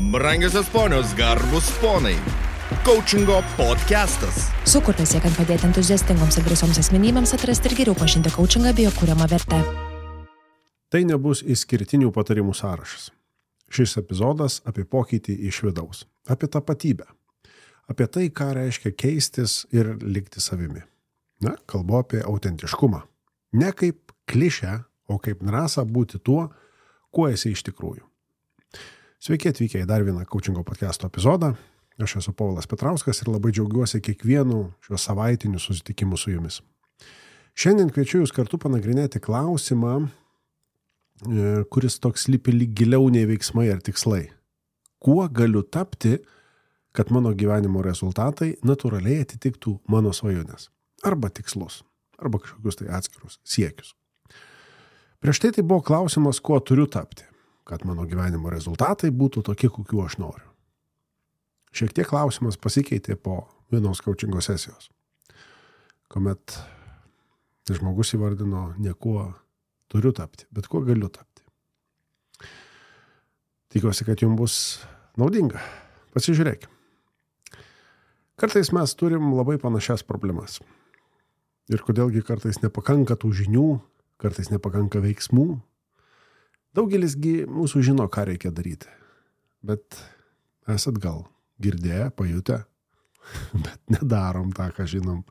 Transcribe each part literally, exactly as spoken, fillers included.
Brangiosios ponios, garbus ponai. Coachingo podcastas. Sukurtas siekiant padėti entuziastingoms ir drąsioms asmenybėms atrasti ir geriau pažinti coachingą bei jo kuriamą vertę. Tai nebus išskirtinių patarimų sąrašas. Šis epizodas apie pokytį iš vidaus, apie tapatybę, apie tai, ką reiškia keistis ir likti savimi. Na, kalbu apie autentiškumą. Ne kaip klišę, o kaip drąsą būti tuo, kuo esi iš tikrųjų. Sveiki atvykę į dar vieną coachingo podcast'o epizodą. Aš esu Povilas Petrauskas ir labai džiaugiuosi kiekvienu šios savaitiniu susitikimu su jumis. Šiandien kviečiu jūs kartu panagrinėti klausimą, kuris toks slypi lyg giliau nei veiksmai ar tikslai. Kuo galiu tapti, kad mano gyvenimo rezultatai natūraliai atitiktų mano svajones? Arba tikslus, arba kažkokius tai atskirus siekius. Prieš tai tai buvo klausimas, kuo turiu tapti, kad mano gyvenimo rezultatai būtų tokie, kokių aš noriu. Šiek tiek klausimas pasikeitė po vienos coachingo sesijos, kuomet žmogus įvardino ne kuo turiu tapti, bet kuo galiu tapti. Tikiuosi, kad jums bus naudinga. Pasižiūrėkime. Kartais mes turim labai panašias problemas. Ir kodėlgi kartais nepakanka tų žinių, kartais nepakanka veiksmų. Daugelisgi mūsų žino, ką reikia daryti. Bet esat gal girdėję, pajutę, bet nedarom tą, ką žinom.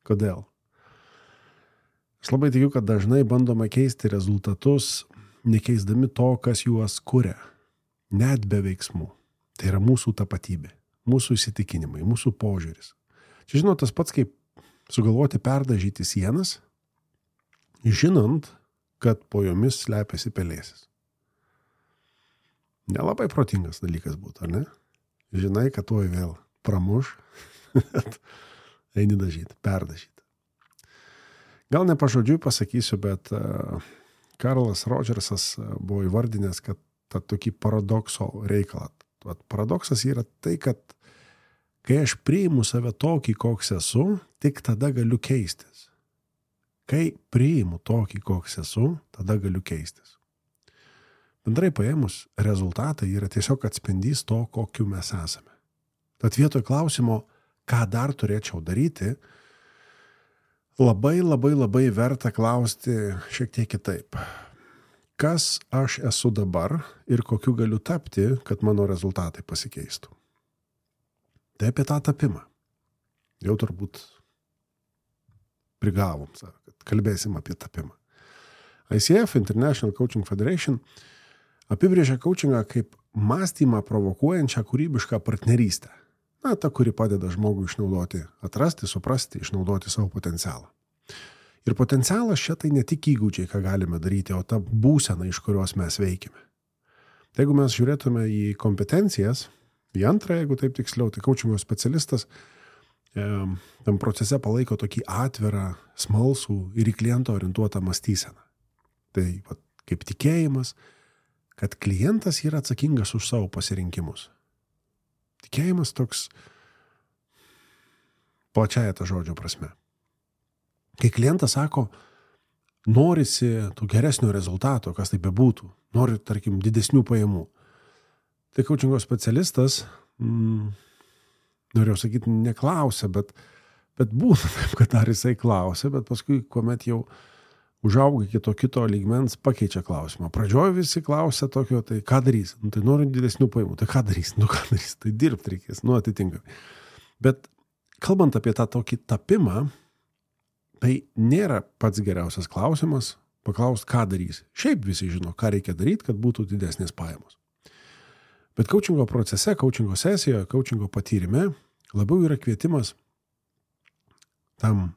Kodėl? Aš labai tikiu, kad dažnai bandome keisti rezultatus, nekeisdami to, kas juos kuria. Net be veiksmų. Tai yra mūsų tapatybė, mūsų įsitikinimai, mūsų požiūris. Čia žinot, tas pats kaip sugalvoti perdažyti sienas, žinant, kad po jomis slepiasi pelėsis. Nelabai protingas dalykas būtų, ar ne? Žinai, kad tuoj vėl pramuš, eini dažyti, perdažyti. Gal ne pažodžiui pasakysiu, bet uh, Karlas Rodžersas buvo įvardinęs, kad tą tokį paradokso reikalą. Vat paradoksas yra tai, kad kai aš priimu save tokį, koks esu, tik tada galiu keistis. Kai priimu tokį, koks esu, tada galiu keistis. Bendrai paėmus, rezultatai yra tiesiog atspindys to, kokiu mes esame. Tad vietoj klausimo, ką dar turėčiau daryti, labai, labai, labai verta klausti šiek tiek kitaip. Kas aš esu dabar ir kokiu galiu tapti, kad mano rezultatai pasikeistų? Tai apie tą tapimą. Jau turbūt prigavom, kad kalbėsim apie tapimą. I C F, International Coaching Federation, apibrėžia coachingą kaip mąstymą provokuojančią kūrybišką partnerystę. Na, ta, kuri padeda žmogui išnaudoti, atrasti, suprasti, išnaudoti savo potencialą. Ir potencialas čia tai ne tik įgūdžiai, ką galime daryti, o ta būsena, iš kurios mes veikime. Tai jeigu mes žiūrėtume į kompetencijas, į antrą, jeigu taip tiksliau, tai coachingo specialistas e, tam procese palaiko tokį atvirą, smalsų ir į klientą orientuotą mąstyseną. Tai va, kaip tikėjimas, kad klientas yra atsakingas už savo pasirinkimus. Tikėjimas toks plačiaja ta žodžio prasme. Kai klientas sako, norisi tų geresnio rezultato, kas tai bebūtų, nori, tarkim, didesnių pajamų. Tai coachingo specialistas, mm, norėjau sakyti, neklausia, bet, bet būna taip, kad dar jisai klausia, bet paskui, kuomet jau užauga iki to kito lygmens, pakeičia klausimą. Pradžioje visi klausia tokio, tai ką darys? Nu, tai noriu didesnių pajamų, tai ką darys? Nu, ką darys? Tai dirbti reikės, nu, atitinkamai. Bet kalbant apie tą tokį tapimą, tai nėra pats geriausias klausimas paklausti, ką darys. Šiaip visi žino, ką reikia daryti, kad būtų didesnės pajamos. Bet coachingo procese, coachingo sesijoje, coachingo patyrime labiau yra kvietimas tam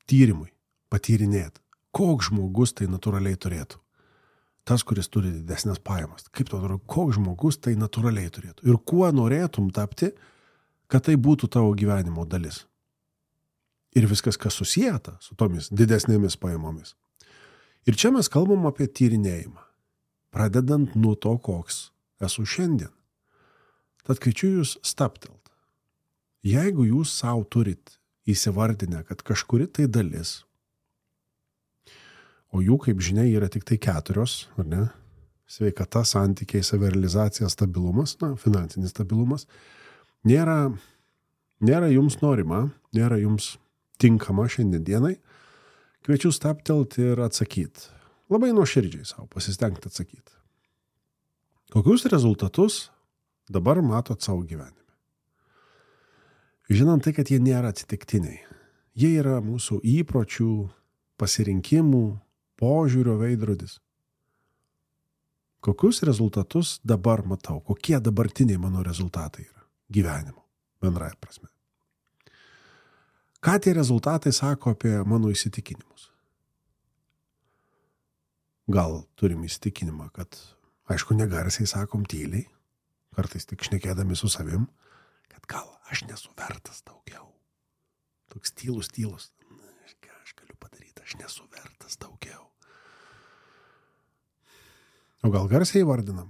tyrimui patyrinėti. Koks žmogus tai natūraliai turėtų? Tas, kuris turi didesnės pajamas. Kaip to atrodo, koks žmogus tai natūraliai turėtų? Ir kuo norėtum tapti, kad tai būtų tavo gyvenimo dalis? Ir viskas, kas susijęta su tomis didesnėmis pajamomis. Ir čia mes kalbam apie tyrinėjimą, pradedant nuo to, koks esu šiandien. Tad kviečiu jūs staptelt. Jeigu jūs savo turit įsivardinę, kad kažkuri tai dalis, o jų, kaip žinia, yra tik tai keturios, ar ne, sveikata, santykiai, savirealizacija, stabilumas, na, finansinis stabilumas, nėra, nėra jums norima, nėra jums tinkama šiandien dienai, kviečiu stabtelti ir atsakyti. Labai nuoširdžiai savo pasistengti atsakyti. Kokius rezultatus dabar matot savo gyvenime? Žinant tai, kad jie nėra atsitiktiniai. Jie yra mūsų įpročių, pasirinkimų, požiūrio veidrodis. Kokius rezultatus dabar matau? Kokie dabartiniai mano rezultatai yra gyvenimo, bendrąja prasme? Ką tie rezultatai sako apie mano įsitikinimus? Gal turim įsitikinimą, kad, aišku, negarsiai sakom tyliai, kartais tik šnekėdami su savim, kad gal aš nesu vertas daugiau. Toks tylus, tylus. Ką aš galiu padaryti, aš nesu vertas daugiau. O gal garsiai vardinam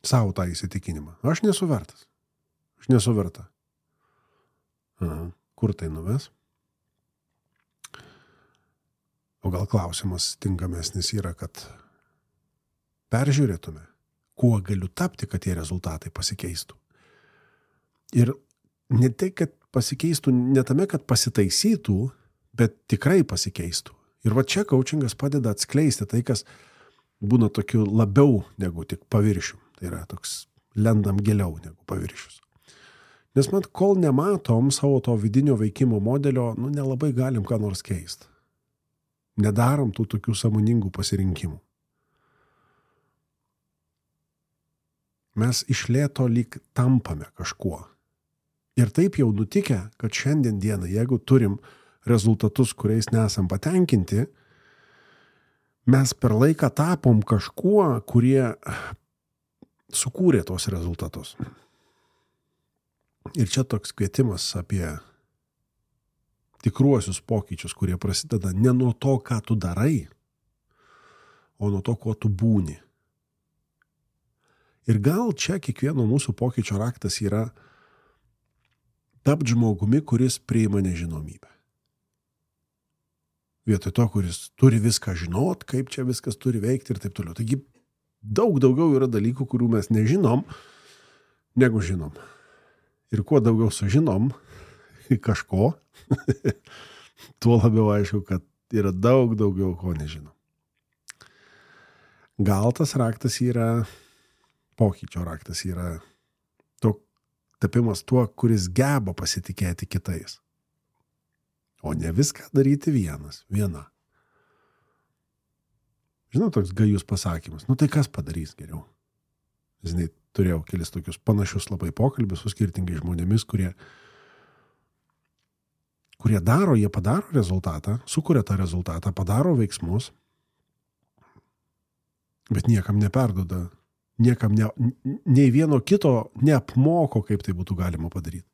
savo tą įsitikinimą. Aš nesu vertas. Aš nesu verta. Aha, kur tai nuves? O gal klausimas tinkamesnis yra, kad peržiūrėtume, kuo galiu tapti, kad tie rezultatai pasikeistų. Ir ne tai, kad pasikeistų, ne tame, kad pasitaisytų, bet tikrai pasikeistų. Ir va čia coachingas padeda atskleisti tai, kas būna tokiu labiau negu tik paviršium. Tai yra toks lendam giliau negu paviršius. Nes mat, kol nematom savo to vidinio veikimo modelio, nu, nelabai galim ką nors keisti. Nedarom tų tokių sąmoningų pasirinkimų. Mes iš lėto lyg tampame kažkuo. Ir taip jau nutikę, kad šiandien dieną, jeigu turim rezultatus, kuriais nesam patenkinti, mes per laiką tapom kažkuo, kurie sukūrė tos rezultatus. Ir čia toks kvietimas apie tikruosius pokyčius, kurie prasideda ne nuo to, ką tu darai, o nuo to, kuo tu būni. Ir gal čia kiekvieno mūsų pokyčio raktas yra tapti žmogumi, kuris priima nežinomybę. Vietoj to, kuris turi viską žinot, kaip čia viskas turi veikti ir taip toliau. Taigi daug daugiau yra dalykų, kurių mes nežinom, negu žinom. Ir kuo daugiau sužinom kažko, tuo labiau aišku, kad yra daug daugiau, ko nežinom. Gal tas raktas yra, pokyčio raktas yra to tapimas tuo, kuris geba pasitikėti kitais. O ne viską daryti vienas, viena. Žinau, toks gajus pasakymas. Nu tai kas padarys geriau? Žinai, turėjau kelis tokius panašius labai pokalbius su skirtingais žmonėmis, kurie, kurie daro, jie padaro rezultatą, sukuria tą rezultatą, padaro veiksmus, bet niekam neperduoda, niekam ne, nei vieno kito neapmoko, kaip tai būtų galima padaryti.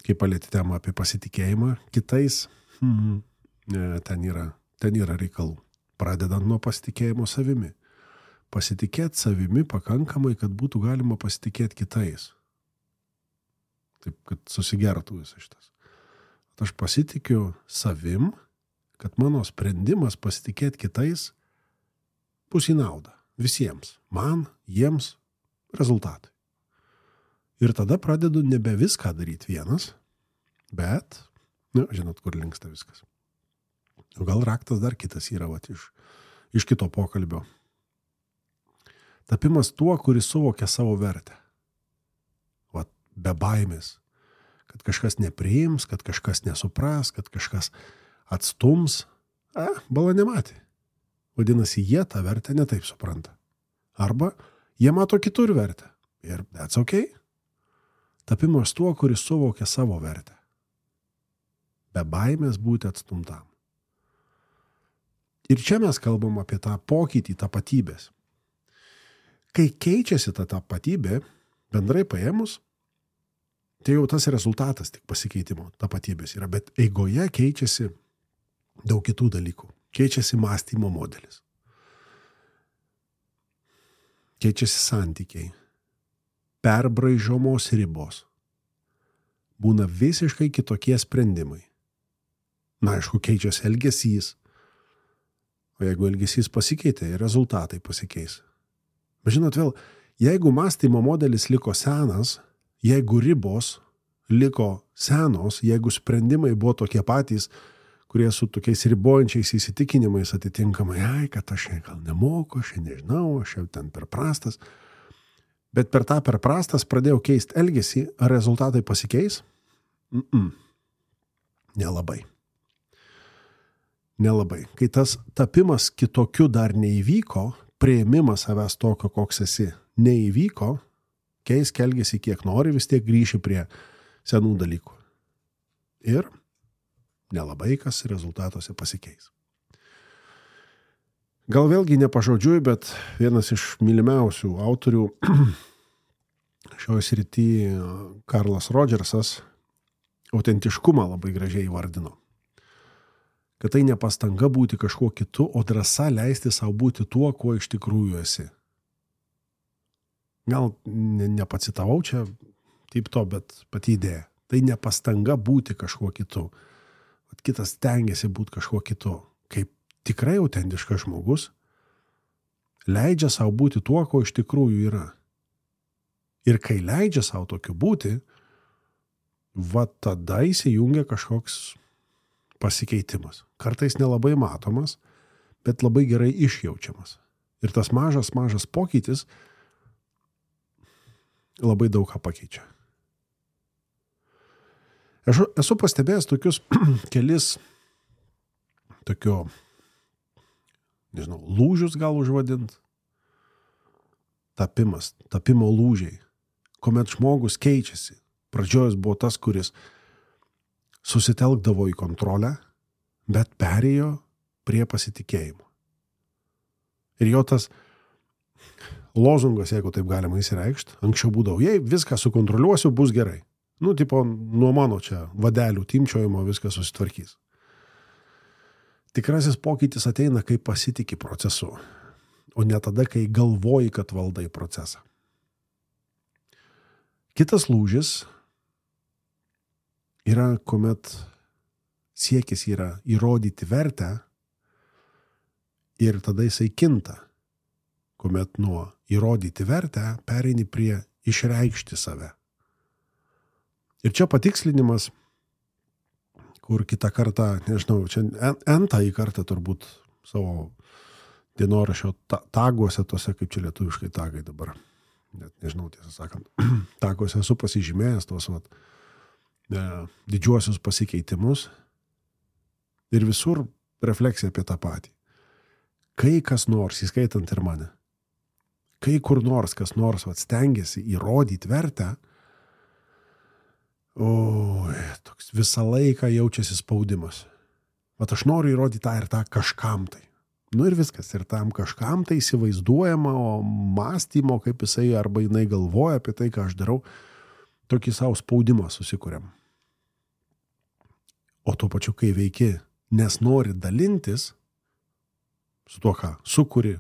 Kai palėti temą apie pasitikėjimą kitais, hmm, ten yra, ten yra reikalų. Pradedant nuo pasitikėjimo savimi. Pasitikėti savimi pakankamai, kad būtų galima pasitikėti kitais. Taip, kad susigertų visas šitas. Aš pasitikiu savim, kad mano sprendimas pasitikėti kitais bus į naudą. Visiems. Man, jiems, rezultatai. Ir tada pradedu nebe viską daryti vienas, bet, nu, žinot, kur linksta viskas. O gal raktas dar kitas yra, vat, iš, iš kito pokalbio. Tapimas tuo, kuris suvokia savo vertę. Vat, be baimės. Kad kažkas nepriims, kad kažkas nesupras, kad kažkas atstums. A, bala nematė. Vadinasi, jie tą vertę netaip supranta. Arba jie mato kitur vertę. Ir that's okay. Tapimas tuo, kuris suvokia savo vertę. Be baimės būti atstumtam. Ir čia mes kalbam apie tą pokytį tapatybės. Kai keičiasi ta tapatybė, bendrai paėmus, tai jau tas rezultatas tik pasikeitimo tapatybės yra, bet eigoje keičiasi daug kitų dalykų. Keičiasi mąstymo modelis. Keičiasi santykiai. Perbraižomos ribos. Būna visiškai kitokie sprendimai. Na, aišku, keičiasi elgesys. O jeigu elgesys pasikeitė, rezultatai pasikeis. Bet žinot vėl, jeigu mąstymo modelis liko senas, jeigu ribos liko senos, jeigu sprendimai buvo tokie patys, kurie su tokiais ribojančiais įsitikinimais atitinkamai, ai, kad aš gal nemoku, aš nežinau, aš jau ten per prastas. Bet per tą per prastas pradėjau keisti elgesį, ar rezultatai pasikeis? Mm-mm. Nelabai. Nelabai. Kai tas tapimas kitokiu dar neįvyko, priėmimas savęs tokio, koks esi, neįvyko, keisk elgesį kiek nori, vis tiek grįši prie senų dalykų. Ir nelabai kas rezultatuose pasikeis. Gal vėlgi nepažodžiui, bet vienas iš mylimiausių autorių šioje srityje Karlas Rodžersas autentiškumą labai gražiai įvardino. Kad tai ne pastanga būti kažkuo kitu, o drąsa leisti savo būti tuo, kuo iš tikrųjų esi. Gal ne, nepacitavau čia taip to, bet pati idėja. Tai ne pastanga būti kažkuo kitu. Kitas stengiasi būti kažkuo kitu. Kaip tikrai autentiškas žmogus leidžia savo būti tuo, ko iš tikrųjų yra. Ir kai leidžia savo tokiu būti, va tada įsijungia kažkoks pasikeitimas. Kartais nelabai matomas, bet labai gerai išjaučiamas. Ir tas mažas, mažas pokytis labai daug ką pakeičia. Aš esu pastebėjęs tokius kelis tokio, nežinau, lūžius gal užvadint, tapimas, tapimo lūžiai, kuomet žmogus keičiasi. Pradžiojus buvo tas, kuris susitelkdavo į kontrolę, bet perėjo prie pasitikėjimo. Ir jo tas lozungas, jeigu taip galima įsireikšti, anksčiau būdavo, jei viską sukontroliuosiu, bus gerai. Nu, tipo, nuo mano čia vadelių timčiojimo viskas susitvarkys. Tikrasis pokytis ateina, kai pasitiki procesu, o ne tada, kai galvoji, kad valdai procesą. Kitas lūžis yra, kuomet siekis yra įrodyti vertę ir tada jisai kinta, kuomet nuo įrodyti vertę pereini prie išreikšti save. Ir čia patikslinimas, kur kitą kartą, nežinau, čia entąjį kartą turbūt savo dienoraščio taguose, tose, kaip čia lietuviškai tagai dabar, net nežinau tiesą sakant, taguose esu pasižymėjęs tos vat, e, didžiuosius pasikeitimus ir visur refleksija apie tą patį. Kai kas nors, įskaitant ir mane, kai kur nors kas nors vat, stengiasi įrodyti vertę, o, toks visą laiką jaučiasi spaudimas. Vat aš noriu įrodyti tą ir tą kažkam tai. Nu ir viskas, ir tam kažkam tai įsivaizduojama, o mąstymo, kaip jisai arba jinai galvoja apie tai, ką aš darau, tokį savo spaudimą susikuriam. O tuo pačiu, kai veiki, nes nori dalintis su tuo, ką sukuri,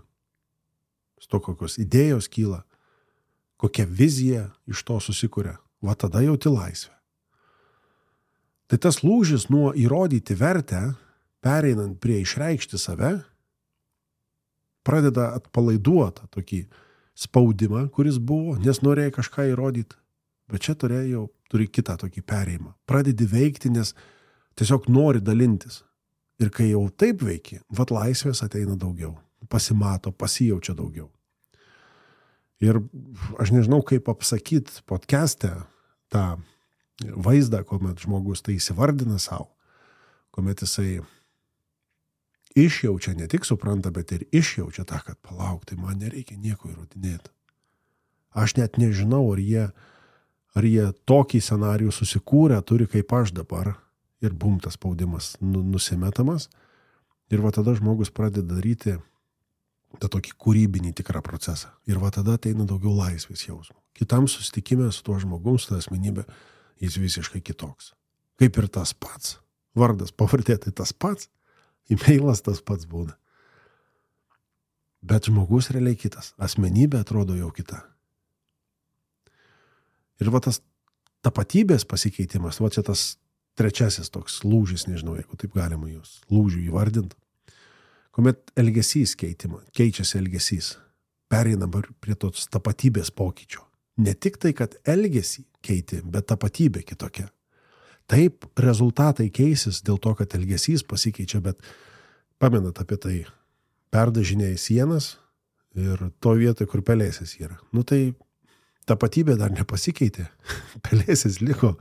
su to, kokios idėjos kyla, kokia vizija iš to susikuria, va tada jauti laisvę. Tai tas lūžis nuo įrodyti vertę, pereinant prie išreikšti save, pradeda atpalaiduoti tokį spaudimą, kuris buvo, nes norėjai kažką įrodyti, bet čia turėjau, turi kitą tokį perėjimą. Pradedi veikti, nes tiesiog nori dalintis. Ir kai jau taip veiki, vat laisvės ateina daugiau, pasimato, pasijaučia daugiau. Ir aš nežinau, kaip apsakyti podcast'e tą vaizdą, kuomet žmogus tai įsivardina savo, kuomet jisai išjaučia, ne tik supranta, bet ir išjaučia tą, kad palauk, tai man nereikia nieko įrodinėti. Aš net nežinau, ar jie, ar jie tokį scenarijų susikūrę turi kaip aš dabar ir bum, tas spaudimas nusimetamas. Ir va tada žmogus pradeda daryti tą tokį kūrybinį tikrą procesą. Ir va tada ateina daugiau laisvės jausmo. Kitam susitikime su tuo žmogum, su ta asmenybė, jis visiškai kitoks. Kaip ir tas pats. Vardas, pavardė, tai tas pats. E-mailas tas pats būna. Bet žmogus realiai kitas. Asmenybė atrodo jau kita. Ir va tas tapatybės pasikeitimas, va čia tas trečiasis toks lūžis, nežinau, jeigu taip galima jūs lūžių įvardinti, kuomet elgesys keitima, keičiasi elgesys, pereinam prie tos tapatybės pokyčio. Ne tik tai, kad elgesį keiti, bet tapatybė kitokia. Taip, rezultatai keisis dėl to, kad elgesys pasikeičia, bet pamenat apie tai, perdažinėjai sienas ir to vietoj, kur pelėsis yra. Nu tai tapatybė dar nepasikeitė, pelėsis liko.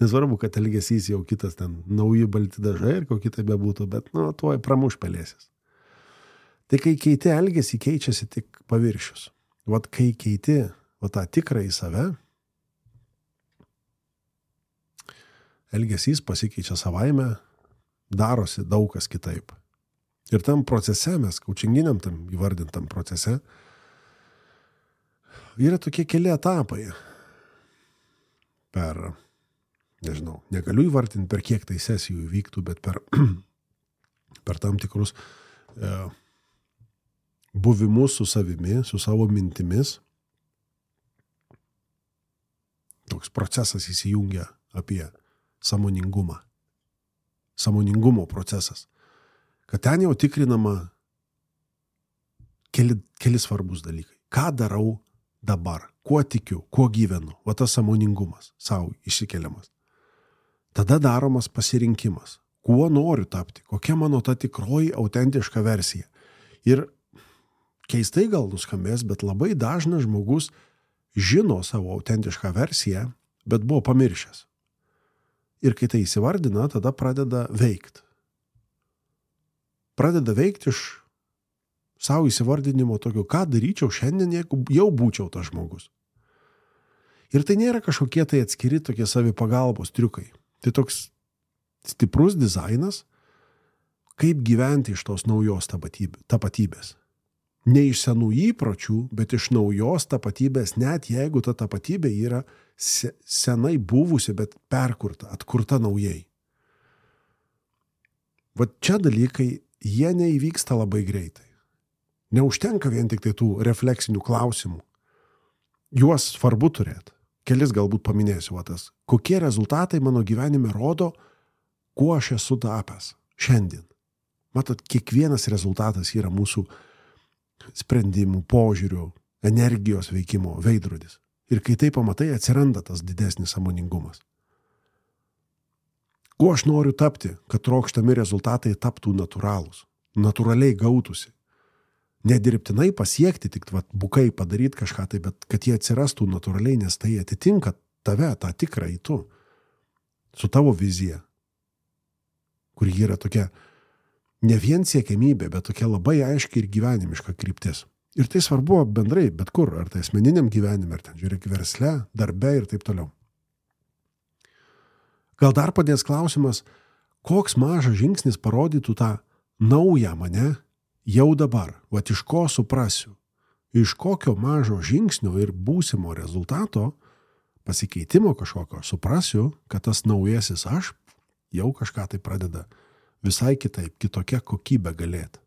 Nesvarbu, kad elgesys jau kitas ten, nauji balti dažai ir kokį tai bebūtų, bet nu, tuoj pramuš pelėsis. Tai kai keiti elgesį, keičiasi tik paviršius. Vat kai keiti va tą tikrą į save, elgesys pasikeičia savaime, darosi daug kas kitaip. Ir tam procese, mes kaučinginiam tam įvardintam procese, yra tokie keli etapai. Per, nežinau, negaliu įvardinti, per kiek tai sesijų vyktų, bet per, per tam tikrus e, buvimus su savimi, su savo mintimis. Toks procesas įsijungia apie sąmoningumą. Sąmoningumo procesas. Kad ten jau tikrinama keli, keli svarbus dalykai. Ką darau dabar? Kuo tikiu? Kuo gyvenu? Va tas sąmoningumas savo išsikeliamas. Tada daromas pasirinkimas. Kuo noriu tapti? Kokia mano ta tikroji autentiška versija? Ir keistai gal nuskambės, bet labai dažnas žmogus žino savo autentišką versiją, bet buvo pamiršęs. Ir kai tai įsivardina, tada pradeda veikti. Pradeda veikti iš savo įsivardinimo tokio, ką daryčiau šiandien, jeigu jau būčiau tas žmogus. Ir tai nėra kažkokie tai atskiri tokie savipagalbos triukai. Tai toks stiprus dizainas, kaip gyventi iš tos naujos tapatybės. Ne iš senų įpročių, bet iš naujos tapatybės, net jeigu ta tapatybė yra senai buvusi, bet perkurta, atkurta naujai. Va čia dalykai, jie neįvyksta labai greitai. Neužtenka vien tik tai tų refleksinių klausimų. Juos svarbu turėti. Kelis galbūt paminėsiu vatas. Kokie rezultatai mano gyvenime rodo, kuo aš esu tapęs šiandien. Matot, kiekvienas rezultatas yra mūsų sprendimų, požiūrių, energijos veikimo veidrodis. Ir kai tai pamatai, atsiranda tas didesnis sąmoningumas. Kuo aš noriu tapti, kad trokštami rezultatai taptų natūralūs, natūraliai gautųsi. Nedirbtinai pasiekti, tik vat, bukai padaryti kažką tai, bet kad jie atsirastų natūraliai, nes tai atitinka tave, tą tikrą į tu, su tavo vizija, kur yra tokia ne vien siekiamybė, bet tokia labai aiški ir gyvenimiška kryptis. Ir tai svarbu bendrai, bet kur, ar tai asmeniniam gyvenime, ar ten žiūrėk versle, darbe ir taip toliau. Gal dar padės klausimas, koks mažas žingsnis parodytų tą naują mane jau dabar, vat iš ko suprasiu, iš kokio mažo žingsnio ir būsimo rezultato, pasikeitimo kažkokio, suprasiu, kad tas naujasis aš jau kažką tai pradeda visai kitaip, kitokia kokybė galėti.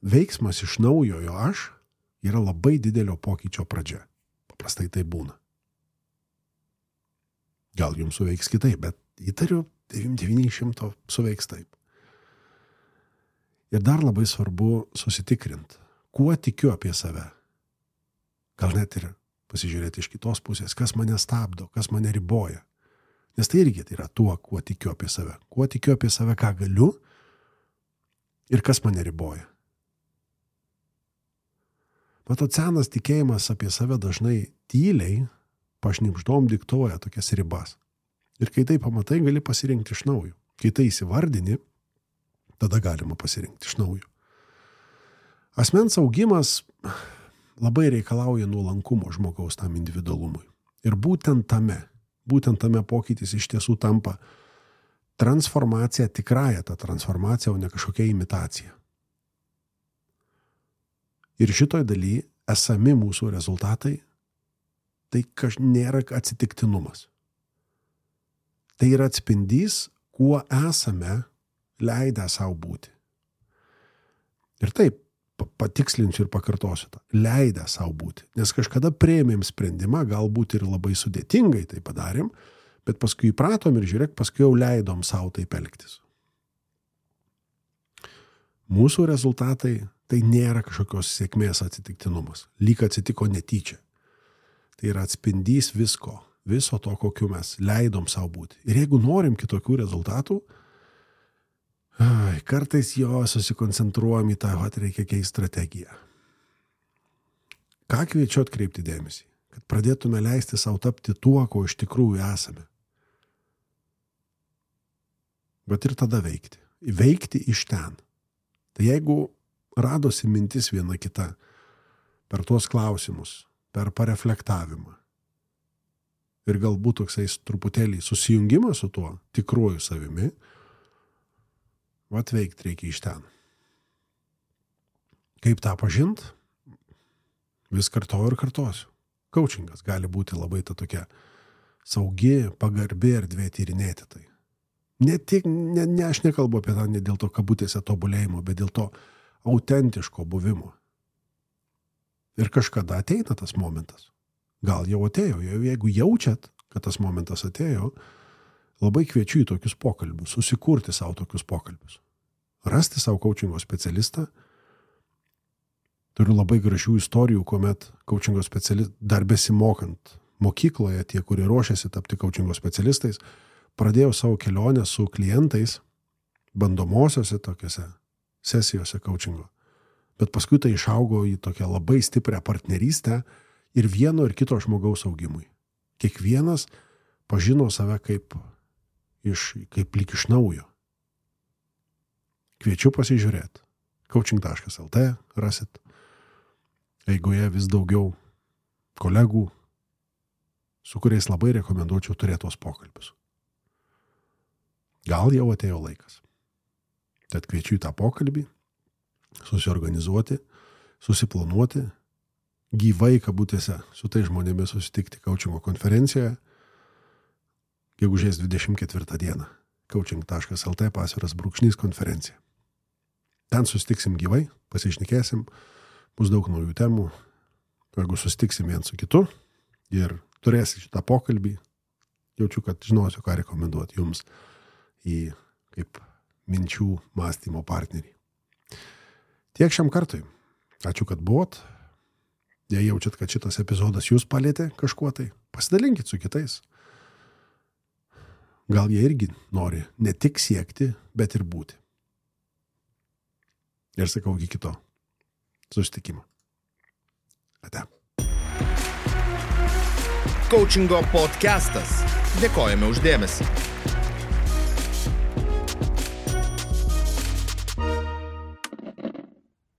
Veiksmas iš naujojo aš yra labai didelio pokyčio pradžia. Paprastai tai būna. Gal jums suveiks kitaip, bet įtariu, devyni šimtai suveiks taip. Ir dar labai svarbu susitikrinti, kuo tikiu apie save. Gal net ir pasižiūrėti iš kitos pusės, kas mane stabdo, kas mane riboja. Nes tai irgi tai yra tuo, kuo tikiu apie save. Kuo tikiu apie save, ką galiu ir kas mane riboja. Matot, senas tikėjimas apie save dažnai tyliai, pašnibždom diktuoja tokias ribas. Ir kai tai pamatai, gali pasirinkti iš naujo. Kai tai įsivardini, tada galima pasirinkti iš naujo. Asmens augimas labai reikalauja nuolankumo žmogaus tam individualumui. Ir būtent tame, būtent tame pokytis iš tiesų tampa transformacija, tikrąja ta transformacija, o ne kažkokia imitacija. Ir šitoj daly esami mūsų rezultatai, tai kaž nėra atsitiktinumas. Tai yra atspindys, kuo esame leidę savo būti. Ir taip, patikslinsiu ir pakartosiu tą. Leidę savo būti. Nes kažkada priėmėm sprendimą, galbūt ir labai sudėtingai tai padarėm, bet paskui įpratom ir žiūrėk, paskui jau leidom savo taip elgtis. Mūsų rezultatai tai nėra kažkokios sėkmės atsitiktinumas. Lyg atsitiko netyčia. Tai yra atspindys visko, viso to, kokiu mes leidom savo būti. Ir jeigu norim kitokių rezultatų, ai, kartais jo susikoncentruojam į tą, kad reikia keisti strategiją. Ką kviečiu atkreipti dėmesį? Kad pradėtume leisti savo tapti tuo, ko iš tikrųjų esame. Bet ir tada veikti. Veikti iš ten. Tai jeigu radosi mintis viena kita per tuos klausimus, per pareflektavimą ir galbūt toksai truputėlį susijungimas su tuo tikruoju savimi, vat veikti reikia iš ten. Kaip tą pažint? Vis kartoju ir kartosiu. Coachingas gali būti labai ta tokia saugi, pagarbi erdvė tyrinėti tai. Ne tik, ne, ne, aš nekalbu apie tą ne dėl to kabutėse tobulėjimo, bet dėl to autentiško buvimo. Ir kažkada ateina tas momentas. Gal jau atėjo. Jeigu jaučiat, kad tas momentas atėjo, labai kviečiu į tokius pokalbius, susikurti savo tokius pokalbius. Rasti savo coachingo specialistą. Turiu labai gražių istorijų, kuomet coachingo specialistai, dar besimokant mokykloje, tie, kurie ruošiasi tapti coachingo specialistais, pradėjau savo kelionę su klientais bandomosiose tokiose sesijose coachingo. Bet paskui tai išaugo į tokią labai stiprią partnerystę ir vieno ir kito žmogaus augimui. Kiekvienas pažino save kaip, iš, kaip lyg iš naujo. Kviečiu pasižiūrėti. coaching taškas el tė rasit. Eigoje vis daugiau kolegų, su kuriais labai rekomenduočiau turėti tos pokalbius. Gal jau atėjo laikas. Tad kviečiu į tą pokalbį, susiorganizuoti, susiplanuoti, gyvai kabutėse su tai žmonėmis susitikti coachingo konferencijoje, gegužės dvidešimt ketvirtą dieną. coaching taškas el tė pasviras brūkšnys konferencija. Ten susitiksim gyvai, pasišnekėsim, bus daug naujų temų. Jeigu susitiksim vien su kitu ir turėsi šitą pokalbį, jaučiu, kad žinosiu, ką rekomenduoti jums į kaip minčių mąstymo partnerį. Tiek šiam kartui. Ačiū, kad buvot. Jei jaučiat, kad šitas epizodas jūs palėtė kažkuo, tai pasidalinkit su kitais. Gal jie irgi nori ne tik siekti, bet ir būti. Ir sakau, iki kito susitikimo. Ate. Coachingo podcastas. Dėkojame už dėmesį.